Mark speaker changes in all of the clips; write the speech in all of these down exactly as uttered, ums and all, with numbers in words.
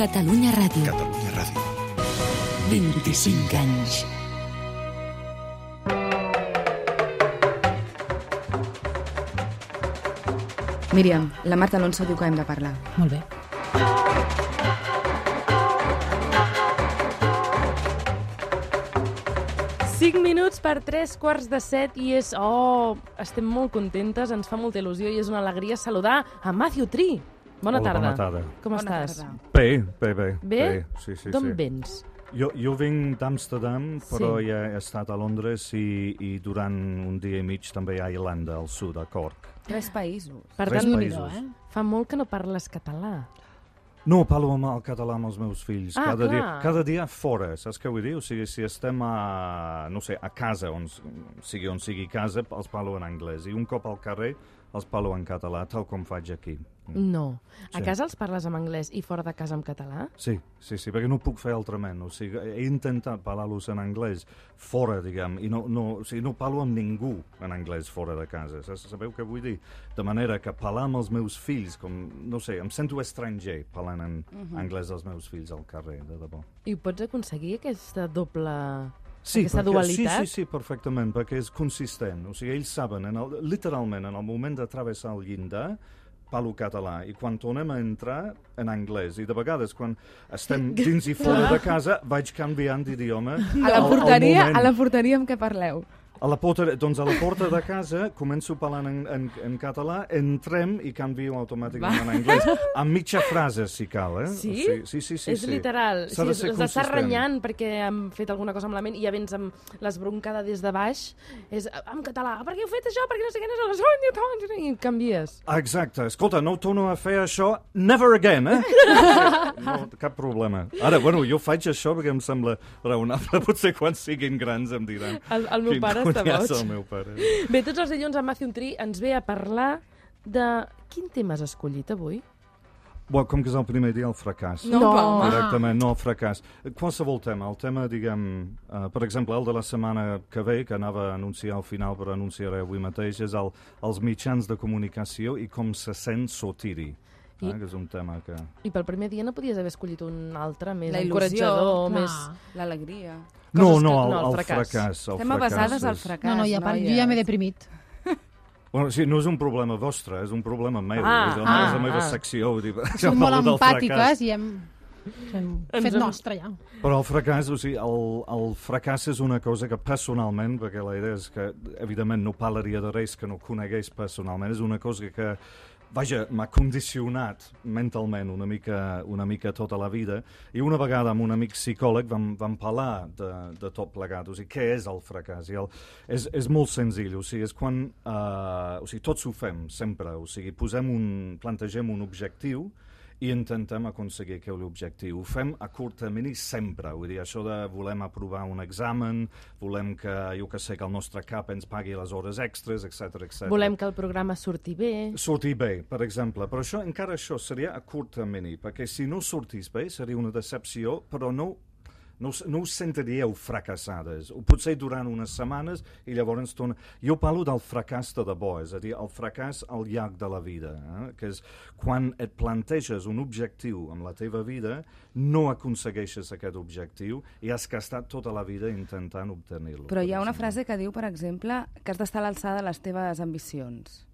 Speaker 1: Catalunya Ràdio.
Speaker 2: Catalunya Ràdio.
Speaker 1: vint-i-cinc anys.
Speaker 3: Míriam, la Marta Alonso diu que hem de parlar.
Speaker 4: Molt bé.
Speaker 5: cinc minuts per tres quarts de set i és... Oh, estem molt contentes, ens fa molta il·lusió i és una alegria saludar a Matthew Tree. Bona
Speaker 6: Hola,
Speaker 5: tarda.
Speaker 6: bona tarda.
Speaker 5: Com
Speaker 3: Bona
Speaker 5: estàs?
Speaker 3: tarda.
Speaker 6: Bé, bé, bé.
Speaker 5: Bé?
Speaker 6: Sí, sí,
Speaker 5: D'on
Speaker 6: sí.
Speaker 5: vens?
Speaker 6: Jo, jo vinc d'Amsterdam, però
Speaker 5: Sí.
Speaker 6: ja he estat a Londres i, i durant un dia i mig també a Irlanda, al sud, a Cork.
Speaker 3: Tres països.
Speaker 5: Per
Speaker 6: Tres
Speaker 5: tant,
Speaker 6: països.
Speaker 4: eh?
Speaker 5: fa molt que no parles català.
Speaker 6: No, parlo amb el català amb els meus fills.
Speaker 5: Ah,
Speaker 6: cada, dia,
Speaker 5: clar.
Speaker 6: cada dia fora, saps què vull dir? O sigui, si estem a, no sé, a casa, on, sigui on sigui casa, els parlo en anglès. I un cop al carrer els parlo en català, tal com faig aquí.
Speaker 5: No. A
Speaker 6: Sí.
Speaker 5: casa els parles en anglès i fora de casa en català?
Speaker 6: Sí, sí, sí, perquè no puc fer altrament. O sigui, he intentat parlar-los en anglès fora, diguem, i no, no, o sigui, no parlo amb ningú en anglès fora de casa. Saps- Sabeu què vull dir? De manera que parlar amb els meus fills, com, no sé, em sento estranger parlant en anglès dels meus fills al carrer, de debò.
Speaker 5: I pots aconseguir aquesta doble...
Speaker 6: Sí,
Speaker 5: aquesta
Speaker 6: perquè,
Speaker 5: dualitat?
Speaker 6: Sí, sí, sí, perfectament, perquè és consistent. O sigui, ells saben, en el, literalment, en el moment de travessar el llindar, parlo català, i quan tornem a entrar, en anglès. I de vegades, quan estem dins i fora de casa, vaig canviant d'idioma.
Speaker 3: A la
Speaker 6: al- al
Speaker 3: porteria,
Speaker 6: moment.
Speaker 3: a la porteria amb què parleu?
Speaker 6: A la porta, doncs a la porta de casa començo parlant en, en, en català, entrem i canvio automàticament en anglès. Amb mitja frase, si cal, eh?
Speaker 5: Sí?
Speaker 6: O sigui, sí, sí, sí.
Speaker 5: és
Speaker 6: sí.
Speaker 5: literal.
Speaker 6: S'ha de
Speaker 5: Si
Speaker 6: ser
Speaker 5: els estàs
Speaker 6: consistent.
Speaker 5: renyant perquè han fet alguna cosa malament i ja vens amb l'esbroncada des de baix, és en català. Per què heu fet això? Per què no sé què? No sé què? I canvies.
Speaker 6: Exacte. Escolta, no torno a fer això never again, eh? No, cap problema. Ara, bueno, jo faig això perquè em sembla raonable. Potser quan siguin grans em diran...
Speaker 5: El, el meu
Speaker 6: quin
Speaker 5: pare està
Speaker 6: conyàs
Speaker 5: boig.
Speaker 6: el meu pare.
Speaker 5: Bé, tots els dilluns en Matthew Tree ens ve a parlar de... Quin tema has escollit avui?
Speaker 6: Bueno, com que és el primer dia, el fracàs.
Speaker 3: No,
Speaker 5: No.
Speaker 3: home.
Speaker 6: Directament, no el fracàs. Qualsevol tema. El tema, diguem, uh, per exemple, el de la setmana que ve, que anava a anunciar al final, però anunciaré avui mateix, és el, els mitjans de comunicació i com se sent sortir-hi.
Speaker 5: I-
Speaker 6: Eh, que és un tema que...
Speaker 5: I pel primer dia no podies haver escollit un altre, més
Speaker 3: La il·lusió,
Speaker 5: encoratjador,
Speaker 4: clar.
Speaker 5: més...
Speaker 3: L'alegria.
Speaker 6: No,
Speaker 5: Coses
Speaker 6: no,
Speaker 5: que-
Speaker 6: el,
Speaker 5: no, el
Speaker 6: el
Speaker 5: fracàs.
Speaker 6: fracàs. El
Speaker 3: Estem
Speaker 6: fracàs
Speaker 3: avasades al
Speaker 6: és-
Speaker 3: fracàs,
Speaker 4: No, no, ja, pa- jo ja m'he deprimit.
Speaker 6: Bueno, sí, no és un problema vostre, és un problema meu.
Speaker 5: Ah,
Speaker 6: és, la,
Speaker 5: ah,
Speaker 6: és la meva
Speaker 5: ah.
Speaker 6: secció. Vull dir,
Speaker 4: Som molt
Speaker 6: parlo del
Speaker 4: empàtiques
Speaker 6: fracàs.
Speaker 4: i hem, hem
Speaker 5: Ens
Speaker 4: fet
Speaker 5: hem-
Speaker 4: nostre ja.
Speaker 6: Però el fracàs, o sigui, el, el fracàs és una cosa que personalment, perquè la idea és que, evidentment, no parlaria de res que no conegués personalment, és una cosa que, vaja, m'ha condicionat mentalment una mica, una mica tota la vida, i una vegada amb un amic psicòleg vam, vam parlar de, de tot plegat, o sigui, què és el fracàs? I el, és, és molt senzill, o sigui, és quan, uh, o sigui, tots ho fem, sempre, o sigui, posem un, plantegem un objectiu, i intentem aconseguir aquell objectiu. Ho fem a curt termini sempre. Vull dir, això de volem aprovar un examen, volem que, jo que sé, que el nostre cap ens pagui les hores extres, etcètera, etcètera.
Speaker 5: Volem que el programa surti bé.
Speaker 6: Sortir bé, per exemple. Però això, encara això seria a curt termini, perquè si no sortís bé seria una decepció, però no, no, us- no us sentiríeu fracassades. O potser durant unes setmanes i llavors torna... Jo parlo del fracàs de debò, és a dir, el fracàs al llarg de la vida, eh? Que és quan et planteges un objectiu en la teva vida, no aconsegueixes aquest objectiu i has gastat tota la vida intentant obtenir-lo.
Speaker 3: Però hi
Speaker 6: per
Speaker 3: ha una
Speaker 6: exemple.
Speaker 3: frase que diu, per exemple, que has d'estar a l'alçada de les teves ambicions.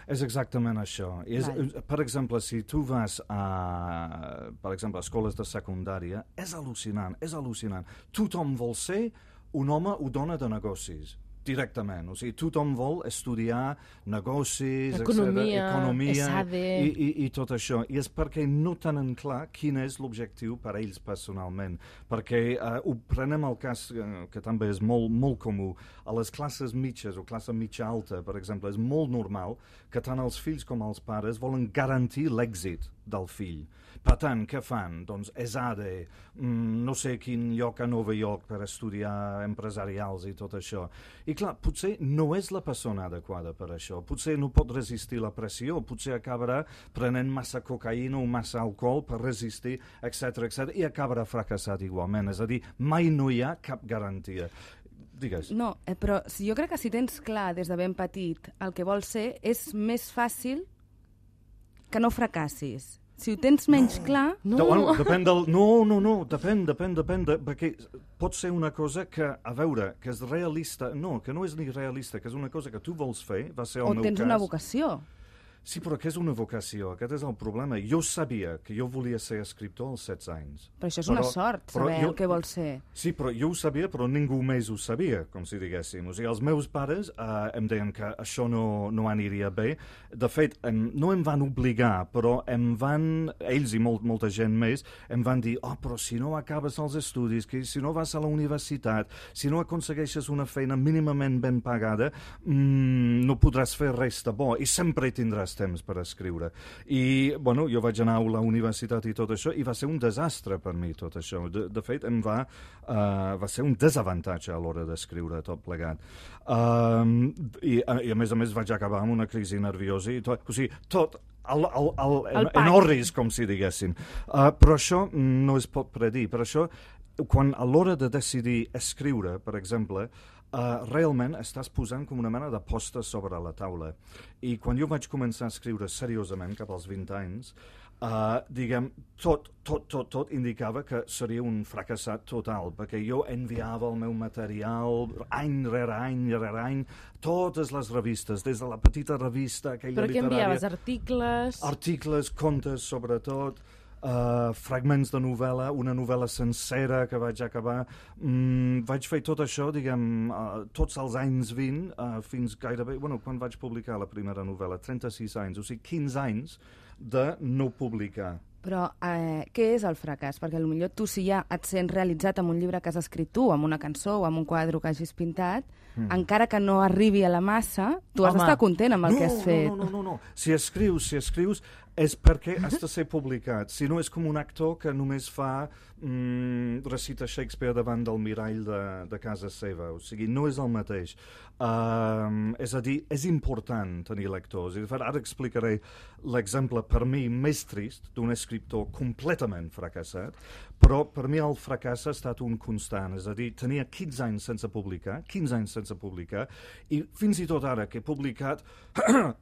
Speaker 6: És exactament això. És,
Speaker 3: Val.
Speaker 6: per exemple, si tu vas a, per exemple, a escoles de secundària, és al·lucinant, és al·lucinant. Tothom vol ser un home o dona de negocis, directament. O sigui, tothom vol estudiar negocis,
Speaker 5: Economia,
Speaker 6: etcètera, economia
Speaker 5: ESADE.
Speaker 6: i, i, i tot això. I és perquè no tenen clar quin és l'objectiu per a ells personalment. Perquè eh, ho prenem el cas, eh, que també és molt, molt comú, a les classes mitges o classe mitja alta, per exemple, és molt normal que tant els fills com els pares volen garantir l'èxit del fill. Per tant, què fan? Doncs ESADE, mm, no sé quin lloc a Nova York per estudiar empresarials i tot això. I clar, potser no és la persona adequada per això. Potser no pot resistir la pressió, potser acabarà prenent massa cocaïna o massa alcohol per resistir, etcètera, etcètera, i acabarà fracassat igualment. És a dir, mai no hi ha cap garantia. Digues.
Speaker 3: No, eh, però si jo crec que si tens clar des de ben petit el que vols ser, és més fàcil que no fracassis. Si ho tens menys no. clar...
Speaker 6: No. De, bueno, depèn del... No, no, no, depèn, depèn, depèn, de, perquè pot ser una cosa que, a veure, que és realista, no, que no és ni realista, que és una cosa que tu vols fer, va ser el
Speaker 3: o
Speaker 6: meu cas.
Speaker 3: O tens una vocació.
Speaker 6: Sí, però què és una vocació? Aquest és el problema. Jo sabia que jo volia ser escriptor als setze anys.
Speaker 3: Però això és però, una sort, saber jo, el que vols ser.
Speaker 6: Sí, però jo ho sabia, però ningú més ho sabia, com si diguéssim. O sigui, els meus pares eh, em deien que això no, no aniria bé. De fet, em, no em van obligar, però em van, ells i molt, molta gent més, em van dir, oh, però si no acabes els estudis, que si no vas a la universitat, si no aconsegueixes una feina mínimament ben pagada, mmm, no podràs fer res de bo i sempre tindràs temps per escriure. I, bueno, jo vaig anar a la universitat i tot això, i va ser un desastre per mi tot això. De, de fet, em va, uh, va ser un desavantatge a l'hora d'escriure tot plegat. Um, i, I, a més a més, vaig acabar amb una crisi nerviosa i tot, o sigui, tot el, el, el, el en orris, com si diguéssim. Uh, però això no es pot predir. Per això, quan a l'hora de decidir escriure, per exemple, Uh, realment estàs posant com una mena de posta sobre la taula. I quan jo vaig començar a escriure seriosament, cap als vint anys, uh, diguem, tot, tot, tot, tot indicava que seria un fracassat total, perquè jo enviava el meu material any rere any rere any, totes les revistes, des de la petita revista, aquella
Speaker 5: literària... Però què enviaves? Articles?
Speaker 6: Articles, contes, sobretot... Uh, fragments de novel·la, una novel·la sencera que vaig acabar. Mm, vaig fer tot això, diguem, uh, tots els anys vint, uh, fins gairebé... Bueno, quan vaig publicar la primera novel·la? trenta-sis anys, o sigui, quinze anys de no publicar.
Speaker 3: Però eh, què és el fracàs? Perquè potser tu, si ja et sents realitzat amb un llibre que has escrit tu, amb una cançó o amb un quadre que hagis pintat, mm. encara que no arribi a la massa, tu has d'estar content amb el
Speaker 6: no,
Speaker 3: que has fet.
Speaker 6: No, no, no, no. Si escrius, si escrius, és perquè has de ser publicat. Si no, és com un actor que només fa mm, recita Shakespeare davant del mirall de, de casa seva. O sigui, no és el mateix. Um, és a dir, és important tenir lectors. I de fet, ara explicaré l'exemple per mi més trist d'un escriptor completament fracassat, però per mi el fracàs ha estat un constant. És a dir, tenia quinze anys sense publicar, quinze anys sense publicar, i fins i tot ara que he publicat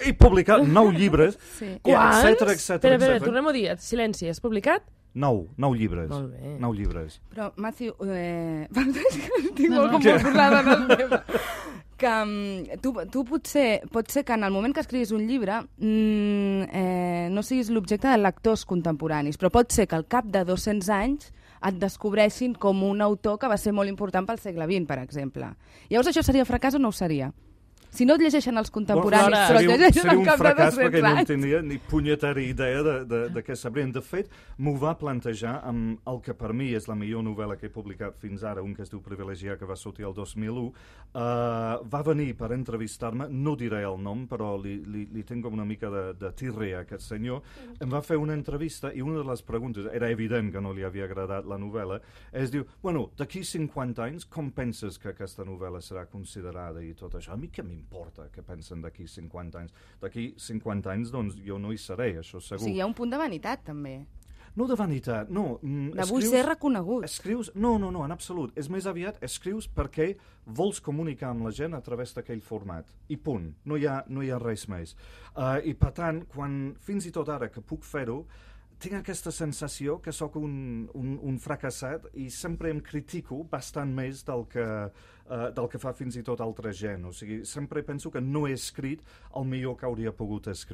Speaker 6: he publicat nou llibres,
Speaker 5: sí.
Speaker 6: Quants? etcètera, etcètera,
Speaker 5: espera, espera, tornem-ho a dir. Silenci, has publicat?
Speaker 6: Nou, nou llibres.
Speaker 5: Molt bé.
Speaker 6: Nou llibres.
Speaker 3: Però, Matthew, eh... estic molt com molt tornada en el tema. Que um, tu, tu potser, pot ser que en el moment que escriguis un llibre mm, eh, no siguis l'objecte de lectors contemporanis, però pot ser que al cap de dos-cents anys et descobreixin com un autor que va ser molt important pel segle vint, per exemple. Llavors això seria fracàs o no ho seria? Si no et llegeixen els contemporanis, bueno, però et llegeixen al cap de dos-cents anys... Seria un fracàs perquè
Speaker 6: no en tenia ni punyetera idea de, de, de què sabrien. De fet, m'ho va plantejar amb el que per mi és la millor novel·la que he publicat fins ara, un que es diu Privilegiar, que va sortir el dos mil u. Uh, va venir per entrevistar-me, no diré el nom, però li, li, li tinc una mica de, de tirre a aquest senyor. Em va fer una entrevista i una de les preguntes, era evident que no li havia agradat la novel·la, es diu, bueno, d'aquí cinquanta anys, com penses que aquesta novel·la serà considerada i tot això? A mi què m'importa què pensen d'aquí cinquanta anys? D'aquí cinquanta anys, doncs, jo no hi seré, això segur.
Speaker 3: O sigui, hi ha un punt de vanitat, també.
Speaker 6: No de vanitat, no. Mm,
Speaker 3: de vull ser reconegut.
Speaker 6: Escrius, no, no, no, en absolut. És més aviat, escrius perquè vols comunicar amb la gent a través d'aquell format. I punt. No hi ha, no hi ha res més. Uh, I per tant, quan, fins i tot ara que puc fer-ho, tinc aquesta sensació que sóc un, un, un fracassat i sempre em critico bastant més del que, uh, del que fa fins i tot altra gent. O sigui, sempre penso que no he escrit el millor que hauria pogut escriure.